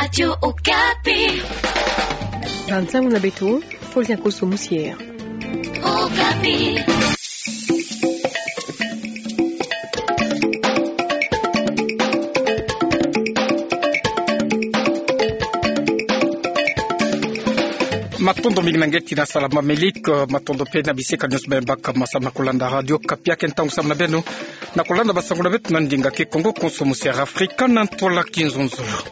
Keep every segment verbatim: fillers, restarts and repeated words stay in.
Radio Okapi. Ba nsangu na beto, Paulien Koso Musier. Okapi. Matondo mingi na ngetina salama Melik, matondo mpe na bisika nyonso bembaka masamu na kolanda Radio Okapi. Ake ntangu samu na beno na kolanda ba nsangu na beto na ndinga Kikongo, Konso Musier Afrika na ntwala Kinzonzolo.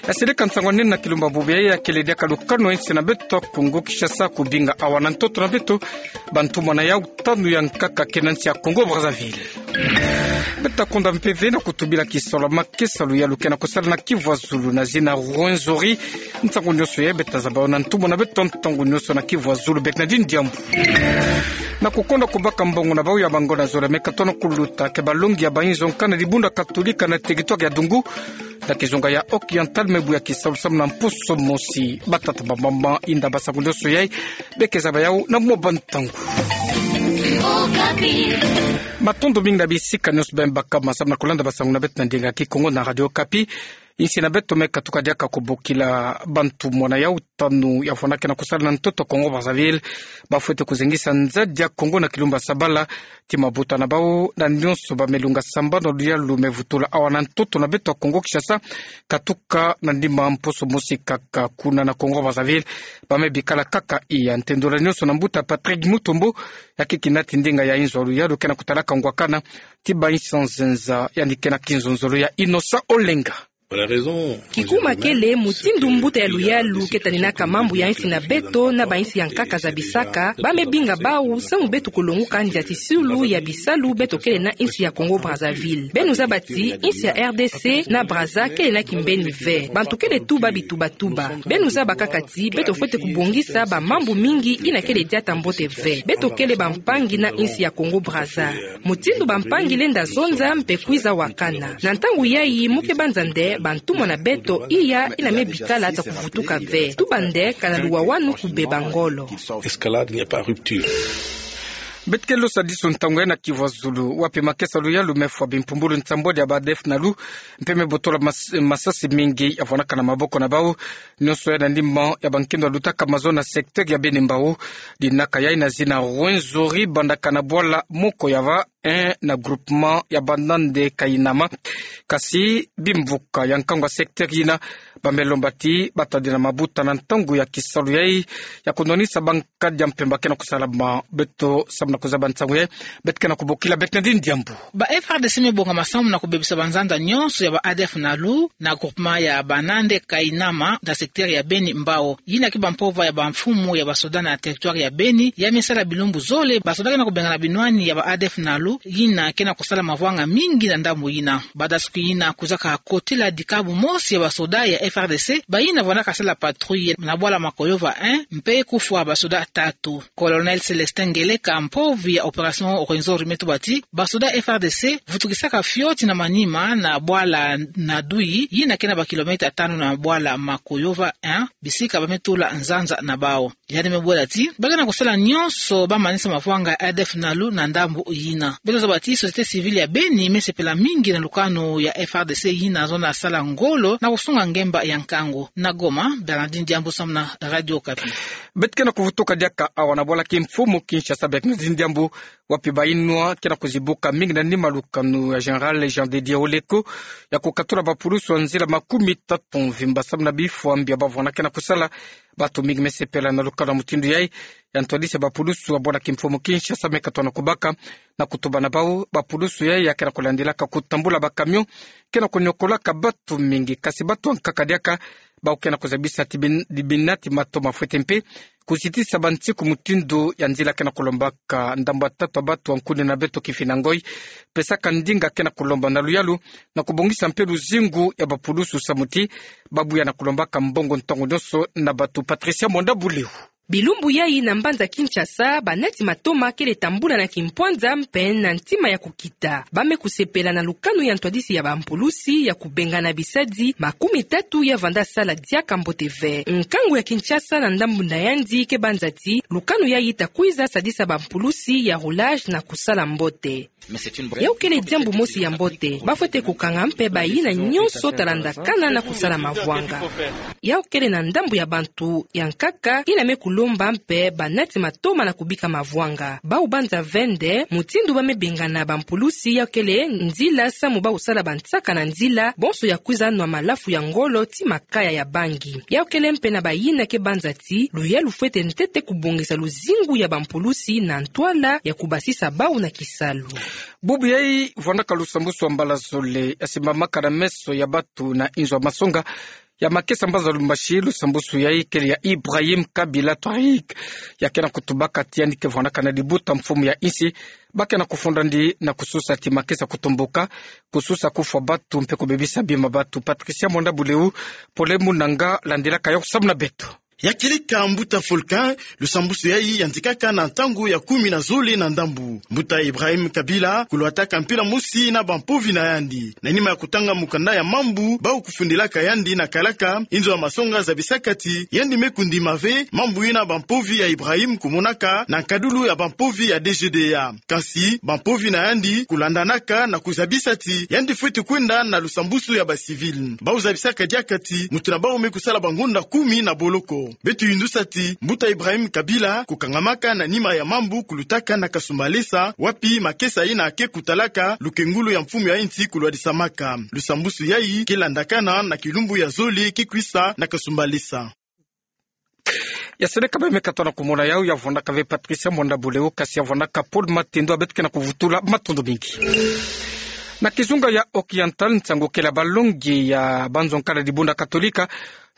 Ya seleka nsangu anene na kilumbu bubu yayi, ya kele diaka lukanu ya insi na beto Kongo Kinshasa kubinga awa na ntoto na beto bantumwa na yau tanu ya nkaka kena nsi ya Kongo Brazzaville. Beto ta konda mpe ve na kutubila kisalu ya makesa luyalu kena kusala na Kivu ya Zulu na zina Rwenzori. Nsangu nyonso yayi beto ta zaba yo na ntumwa na beto ntangu nyonso na Kivu ya Zulu, Bernardine Diambu. Na kukonda kubaka mbongo na bau ya bango na zole me katona kuluta ke balongi ya bainzo nkana dibundu Katolika na territoire ya Dungu na kizunga ya Oriental me bu ya kisalu samu na mposo mosi. Batata, bamama, inda, ba nsangu nyonso yayi beke zaba yau na mwa bantangu. Matondo mingi na bisika nyonso bembaka masamu na kolanda ba nsangu na beto na ndinga Kikongo na Radio Okapi. Insi na beto me katuka diaka kubokila bantumwa na yau tanu ya vwandakena kusala na ntoto Kongo Brazzaville. Bafwete kuzengisa nzadi ya Kongo na kilumbu ya Sabala ti mabuta na bau na nyonso bamilunga sambanu ya luyalu me vutula awa na ntoto na beto Kongo Kinshasa, katuka na ndima mposo mosi kaka kuna na Kongo Brazzaville. Bame bikala kaka iya ntendola nyonso na mbuta Patrick Mutombo, ya kiki nati ndinga ya inzo ya luyalu kena kutalaka ngwakana ti bainsi ya nzenza, yandi kena Kinzonzolo ya Innocent Olenga. Kikuma kele mutindu mbuta ya luyalu ke taninaka mambu ya insi na beto na bainsi ya nkaka zabisaka, bame binga bau samu beto kulonguka ndiatisulu ya bisalu beto kele na insi ya Kongo Brazzaville. Beno zaba ti insi ya R D C na Brazza kele na kimbeni ve. Bantu kele tuba bitubatuba. Beno zaba kaka ti beto fwete kubongisa bamambu mingi yina kele diata mbote ve. Beto kele bampangi na insi ya Kongo Brazza. Mutindu bampangi lenda zonza mpe kwiza wakana. Na ntangu yayi mu ke banza nde bantumwa na beto iya yina me bikala ta kuvutuka ve. Tuba nde kana luwawanu kubeba ngolo. Escalade n'est pas rupture. Beto ke losa disu ntangu yayi na Kivu ya Zulu, wapi makesa luyalu me fwa bimpumbulu nsambwadi ya ba ADF-NALU, mpe me botola mas-, masasi mingi ya vwandaka na maboko na bau. Nyonso yayi na ndima ya bankindo ya lutaka mazono na secteur ya Beni Mbau. Dinaka yayi na zina Rwenzori, bandaka na bwala moko ya va, eh, na groupement ya Banande Kainama. Kasi bimvuka ya nkangu ya secteur yina bame lomba ti batadila mabuta na ntangu ya kisalu yayi ya kunwanisa bankadi mpe ba kena kusalama. Beto samu na kuzaba nsangu yayi, beto kena kubokila Bernardine Diambu. Ba F R D C me bonga masamu na kubebisa banzanza nyonso ya ba ADF-NALU na groupement ya Banande Kainama na secteur ya Beni Mbau. Yina ke bampova ya bamfumu ya basoda na territoire ya Beni, ya me sala bilumbu zole basoda kena kubengana binwani ya ba ADF-NALU, yina kena kusala mavwanga mingi na ndambu yina. Banda suki yina kwizaka kotila dikabu mosi ya basoda ya F R D C, bayina vwandaka sala patrouille na bwala Makoyova un, mpe kufwa basoda tatu. Colonel Célestin Ngeleka, mpovi ya opération Rwenzori, me tuba ti basoda F R D C vutukisaka fioti na manima na bwala Nadui, yina kena ba kilomètre tanu na bwala Makoyova un, bisika bame tula nzanza na bau. Yandi me bwela ti ba kena kusala nyonso ba manisa mavwanga ya ADF-NALU na ndambu yina. Beto zaba ti société civile ya Beni me sepela mingi na lukanu ya F R D C yina zonza sala ngolo na kusunga ngemba ya nkangu. Na Goma, Bernardine Diambu samu na Radio Okapi. Beto kena kuvutuka diaka awa na bwala kimfumu Kinshasa, Bernardine Diambu, wapi bayinwa kena kuzibuka mingi na nima lukanu ya Général Jean de Dieu Oleko ya kukatula bapulusu ya nzila makumi tatu mvimba samu na bifwa mbi ya bavwandakena kusala. Bantu mingi me sepela na lukanu ya mutindu yayi. Ya ntwadisi ya bapulusu ya bwala kimfumu Kinshasa me katona kubaka na kutuba na bau, bapulusu yayi ya kena kulandilaka kutambula ba camion kena kuniokolaka bantu mingi, kasi bantu ya nkaka diaka. Bau kena kuzabisa ti bin-, di binati mato mafwete mpe kuzitisa bansiku mutindu ya nzila kena kulombaka ndambu ya tatu ya bantu ya nkuni na beto kifina ngoi. Pesaka ndinga kena kulomba na luyalu na kubongisa mpe luzingu ya bapulusu samu ti babuya na kulombaka mbongo ntangu nyonso na bantu. Patricia Mwanda Buleu. Bilumbu yai na mbanza Kinshasa, banati matoma kele tambula na kimpwanza mpe na ntima ya kukita. Ba me kusepela na lukanu ya ntwadisi ya bampulusi ya kubengana bisadi makumi tatu ya vanda sala diaka mbote ve. Nkangu ya Kinshasa na ndambu na yandi ke banza ti lukanu yai ta kwiza sadisa bampulusi ya roulage na kusala mbote. Yau kele diambu mosi ya mbote. Ba fwete kukanga mpe bayina nyonso ta landakana na kusala mavwanga. Yau kele na ndambu ya bantu ya nkaka yina me kulomba mpe banati matoma na kubika mavwanga. Bau banza ve nde mutindu ba me bengana bampulusi yau kele nzila samu bau sala bansaka na nzila, bonso ya kwiza nwa malafu ya ngolo ti makaya ya bangi. Yau kele mpe na bayina ke banza ti luyalu fwete ntete kubongisa luzingu ya bampulusi na ntwala ya kubasisa bau na kisalu. Bubu yai vwandaka lusambusu ya mbala zole ya simbamaka na meso ya batu na inzo ya masonga ya makesa mbanza Lubumbashi. Lusambusu yai kele ya Ibrahim Kabila Touareg, ya ke na kutubaka ti yandi ke vwandaka na libuta mfumu ya insi, ba ke na kufunda ndi na kususa ti makesa kutumbuka, kususa kufwa batu mpe kubebisa bima batu. Patricia Mwanda Buleu, pole munanga, landilaka yo samu na beto. Ya kilika mbuta Volcan, lusambusu yai yandikaka na ntangu ya kumi na zole na ndambu. Mbuta Ibrahim Kabila kulwataka mpila mosi na bampovi na yandi. Na nima ya kutanga mukanda ya mambu bau kufundilaka yandi na kalaka, inzo ya masonga zabisaka ti yandi me kundima ve mambu yina bampovi ya Ibrahim kumonaka na nkadulu ya bampovi ya D G D A. Kansi bampovi na yandi kulandanaka na kuzabisa ti yandi fwete kwenda na lusambusu ya ba civil. Bau zabisaka diaka ti mutu na bau me kusala bangonda kumi na boloko. Beto yindusa ti mbuta Ibrahim Kabila kukangamaka na nima ya mambu kulutaka na Kasumbalesa, wapi makesa yina ke kutalaka lukengulu ya mfumu ya insi kulwadisamaka. Lusambusu yai ke landakana na kilumbu ya zole ke kwisa na Kasumbalesa. Ya sele ka ba me katona kumona yau, ya vwandaka ve Patricia Mwanda Buleu, kasi ya vwandaka Paul Matendo, a beto ke na kuvutula, matondo mingi. Na kizunga ya Occidental, nsangu kele ya balongi ya banzo nkala dibunda Katolika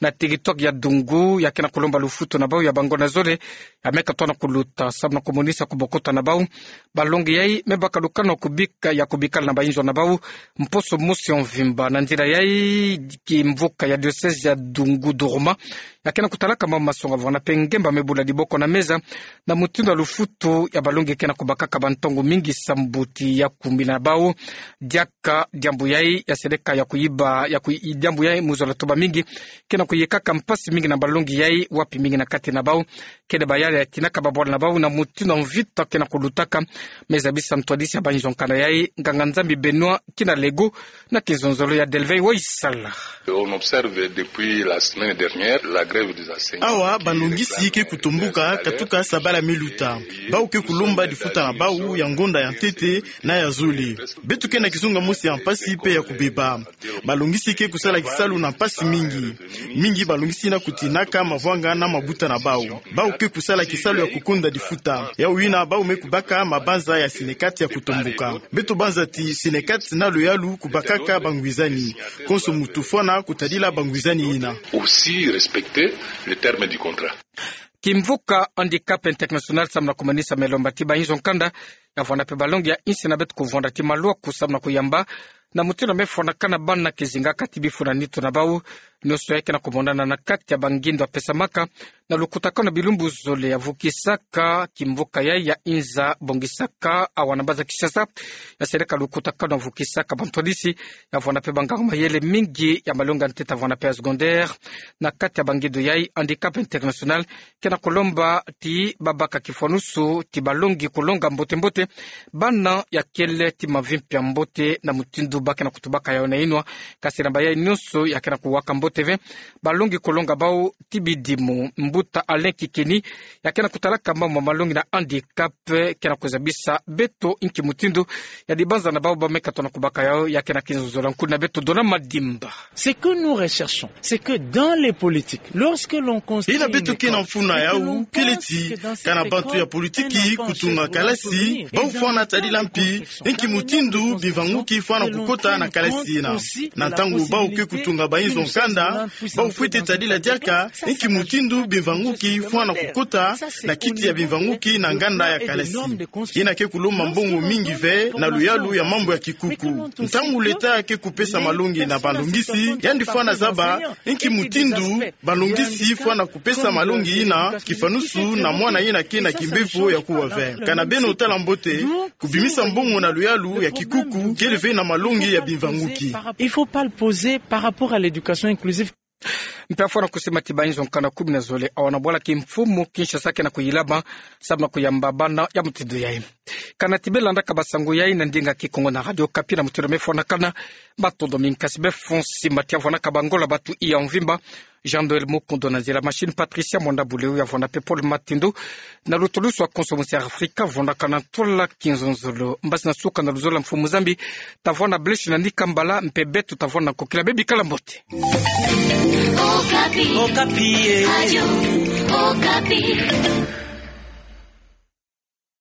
na territoire ya Dungu, ya ke na kulomba lufutu na bau ya bangonda zole, ya me katona kuluta samu na kumonisa kubokota na bau. Balongi yai me baka lukanu ya kubika, ya kubikala na bainzo na bau mposo mosi ya mvimba. Na nzila yai, kimvuka ya diocèse ya Dungu Duruma ya ke na kutalaka mambu masonga vwanga mpe ngemba me bula diboko na meza na mutindu ya lufutu ya balongi ke na kubakaka bantangu mingi samu ti ya kumbila na bau. Diaka diambu yai ya seleka ya kuyiba, ya kuyi-, diambu yai mu zola tuba mingi ke na kuyekaka mpasi mingi na balongi yai, wapi mingi na kati na bau kele bayala ya tinaka babwala na bau na mutindu ya mvita ke na kulutaka. Me zabisa ntwadisi ya bainzo nkanda yai, nganga-Nzambi Benoît Kinalego, na kizonzolo ya Delvey Waisala. On observe depuis la semaine dernière la grève des enseignants. Awa, balongisi ke kutumbuka katuka sabala me luta. Bau ke kulomba difuta na bau ya ngonda ya ntete na ya zole. Beto ke na kizunga mosi ya mpasi mpe ya kubeba. Balongisi ke kusala kisalu na mpasi mingi. Mingi balongisi na kutinaka mavwanga na mabuta na bau. Bau ke kusala kisalu ya kukonda difuta. Yau yina bau me kubaka mabanza ya Synecat ya kutumbuka. Beto banza ti Synecat na luyalu kubakaka bangwizani. Konso muntu fwana kutadila bangwizani yina. Aussi respecter le terme du contrat. Kimvuka Handicap International samu na kumanisa me lomba ti bainzo nkanda ya vwanda mpe balongi ya insi na beto kuvwanda ti malwaku samu na kuyamba na mutindu me fwanakana bana kizinga kati bifu na nitu na bau. Nyonso yai ke na kumonana na kati ya bangindo ya pesamaka na lukutakanu ya bilumbu zole ya vukisaka kimvuka yai ya inza bongisaka awa na mbanza Kinshasa. Ya seleka lukutakanu ya vukisaka bantwadisi ya vwanda mpe banganga-mayele mingi ya malongi ya ntete ya vwanda mpe ya secondaire. Na kati ya bangindo yai, Handicap International ke na kulomba ti babaka kifwanusu ti balongi kulonga mbote-mbote bana ya kele ti mavi mpe ya mbote na mutindu ba ke na kutubaka yau na inwa. Kasi na bayai nyonso ya ke na kuwaka mbote ve balongi kulonga bau ti bidimu. Mbuta Alain Kikeni, ya ke na kutalaka mambu ma malongi na handicap, ke na kuzabisa beto inki mutindu ya dibanza na bau ba me katona kubaka yau. Ya ke na kizonzolo ya nkuni na beto Dona Madimba. Ce que nous recherchons, c'est que dans les politiques, lorsque l'on construit une école, et que l'on construit une école, yina beto ke na mfunu na yau kele ti, kana bantu ya politiki kutunga kalasi, Bau fwana tadila mpi inki mutindu bimvanguki fwana kukota na kalasi ina. Na ntangu bau ke kutunga bainzo nkanda, bau fwete tadila diaka inki mutindu bimvanguki fwana kukota na kiti ya bimvanguki na nganda ya kalasi. Ina ke kulomba mbongo mingi ve na luyalu ya mambu ya kikuku. Ntangu leta ke kupesa malongi na balongisi, yandi fwana zaba inki mutindu balongisi fwana kupesa malongi ina kifanusu na mwana ina ke na kimbevo ya kuwa ve. Kana beno tala mbote, kubimisa mbongo na luyalu ya kikuku kele ve na malongi ya bimvanguki. Il faut pas le poser par rapport à l'éducation inclusive. Mpe afwana kusimati bainzo nkanda kumi na zole awona bwala kimfumu Kinshasa ke na kuyilaba samu na kuyamba bana ya mutindu yayi. Kana ti beno landaka basango yayi na ndinga Kikongo na Radio Okapi na mutindu mefwanakana, matondo mingi. Kasi befo nsimbati ya vwanaka bangola batu iya mvimba, Jean Noël Mukundu na nzila machine, Patricia Mwanda Buleu ya vwanda mpe Paul Matindu na lutulusu wa konso musi Afrika, vwanakana ntwala kinzonzolo. Mbasi na suka na luzolo mfumu Nzambi, tavwanda bleshi na nika mbala, mpe beto tavwanda nkokila, bebikala mbote. Okapi. Okapi, eh. Radio Okapi.